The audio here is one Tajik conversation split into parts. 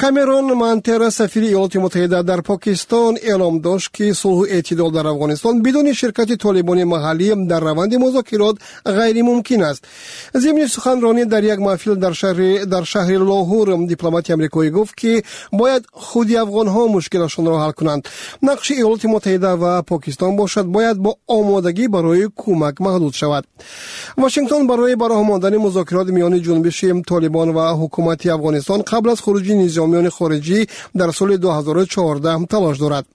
Камерон Мантера, сафири Иёлоти Муттаҳида дар Покистон, эълом дошт, ки сулҳу эътидол дар Афғонистон бидуни ширкати толибони маҳаллӣ дар раванди музокирот ғайримумкин аст. Зимни суханронӣ дар як маҳфил дар шаҳри Лоҳур, дипломати амрикоӣ гуфт, ки бояд худи афғонҳо мушкилашонро ҳал кунанд. Нақши Иёлоти Муттаҳида ва Покистон бошад, бояд бо омодагӣ барои кӯмак маҳдуд шавад. Вашингтон барои ба роҳ мондани музокирот миёни ҷунбиши Толибон ва ҳукумати Афғонистон қабл аз хуруҷи низомиёни хориҷӣ дар соли 2014 талош дорад.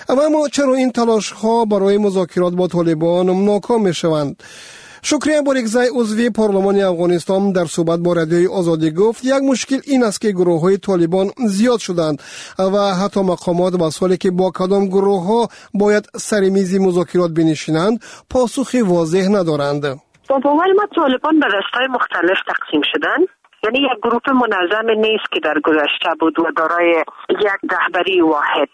Аммо чаро ин талошҳо барои музокирот бо Толибон ноком мешаванд? Шукрия Борикзай, узви парлумони Афғонистон, дар суҳбат бо Радиои Озодӣ гуфт, як мушкил ин аст, ки гурӯҳҳои Толибон зиёд шуданд ва ҳатто мақомот ба суоле, ки бо кадом гурӯҳҳо бояд сари мизи музокирот бинишинанд, посухи возеҳ надоранд. با باور ما طالبان به دستای مختلف تقسیم شدن، یعنی یک گروه منظم نیست که در گذشته بود و دارای یک رهبری واحد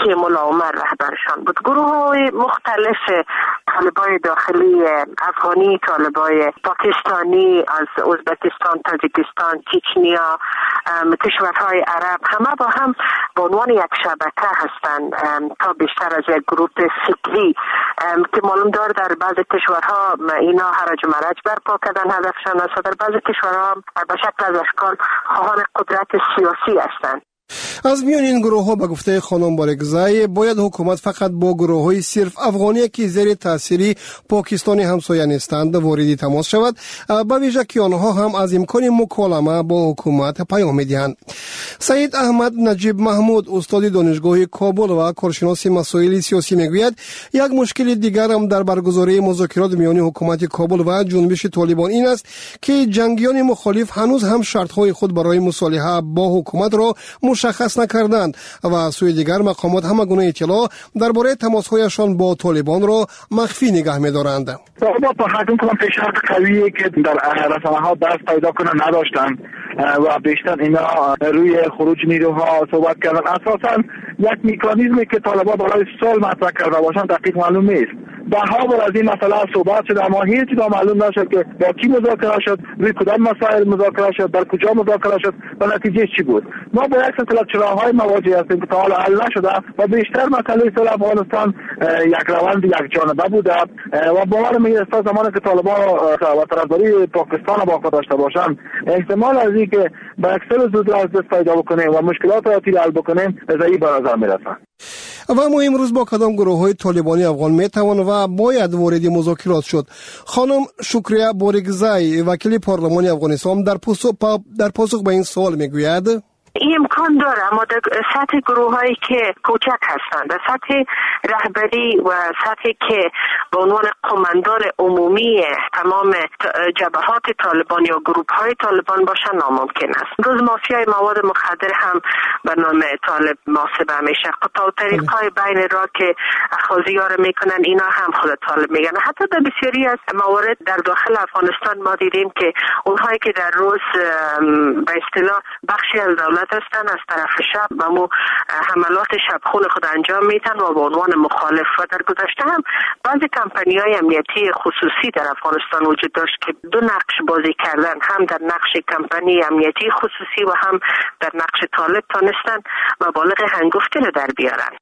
که ملا عمر رهبرشان بود. گروه های مختلف، طالبای داخلی افغانی، طالبای پاکستانی، از ازبکستان، تاجیکستان، چچنیا، کشورهای عرب، همه با هم به عنوان یک شبکه هستند تا بیشتر از یک گروه فکری که معلوم دار در بعض کشورها اینا هرج و مرج برپا کردن هدفشان است و در بعض کشورها به شکل از اشکال خواهان قدرت سیاسی هستند. Аз миёни ин гурӯҳҳо, ба гуфтаи хонум Борикзай, бояд ҳукумат фақат бо гурӯҳҳои сирф афғоние, ки зери таъсири Покистони ҳамсоя нестанд, вориди тамос шавад, ба вижа ки онҳо ҳам аз имкони муколама бо ҳукумат паём медиҳанд. Саид Аҳмад Наҷиб Маҳмуд, устоди Донишгоҳи Кобул ва коршиноси масоили сиёсӣ, мегӯяд, як мушкили дигарам дар баргузории музокирот миёни ҳукумати Кобул ва ҷунбиши Толибон ин аст, ки ҷангиёни мухолиф ҳанӯз ҳам шартҳои худ барои мусолиҳа бо ҳукуматро мушаххас накарданд ва аз сӯи дигар мақомот ҳама гуна иттилоъ дар бораи тамосҳояшон бо толибонро махфӣ нигаҳ медоранд. قویه که در رسانه ها دست پیدا کنن نداشتن و بیشتر اینا روی خروج نیروها صحبت کردن. اساسا یک میکانیزمی که طالبان برای صلح مطرح کرده باشند دقیق معلوم نیست. ده ها بار از این مسئله صحبت شد، اما هیچ معلوم نشد که با کی مذاکره شد، روی کدام مسائل مذاکره شد، در کجا مذاکره شد و نتیجه چی بود. ما با یک سلسله چراهای مواجه هستیم که تا حالا حل نشده و بیشتر مسئله صلح افغانستان یک روند یک جانبه بوده و باور می است زمانی که طالبان و طرفداری پاکستان با خود داشته باشند، احتمال از اینکه به یک صلح زود از دست پیدا بکنیم و مشکلات آتی حل بکنیم ضعیف به نظر میرسد. Ва аммо имрӯз бо кадом гурӯҳҳои толибони афғон метавон ва бояд вориди музокирот шуд? Хонум Шукрия Борикзай, вакили парлумони Афғонистон, дар посух ба ин суол мегӯяд: این امکان داره، اما در سطح گروه هایی که کوچک هستند، در سطح رهبری و سطحی که به عنوان قماندان عمومی تمام جبهات طالبان یا گروپ های طالبان باشن، ناممکن است. روز مافیای مواد مخدر هم به نام طالب محاسبه میشه. قطاع الطریق های بین راه که اخاذی ها میکنن، اینا هم خود طالب میگن. حتی در بسیاری از موارد در داخل افغانستان ما دیدیم که اونهایی که در روز به اصطلاح بخشی از دولت هستن، از طرف شب و مو حملات شبخون خود انجام میتن و به عنوان مخالف. و در گذشته هم بعضی کمپانی های امنیتی خصوصی در افغانستان وجود داشت که دو نقش بازی کردن، هم در نقش کمپانی امنیتی خصوصی و هم در نقش طالب، تانستن مبالغ هنگفتی رو در بیارن.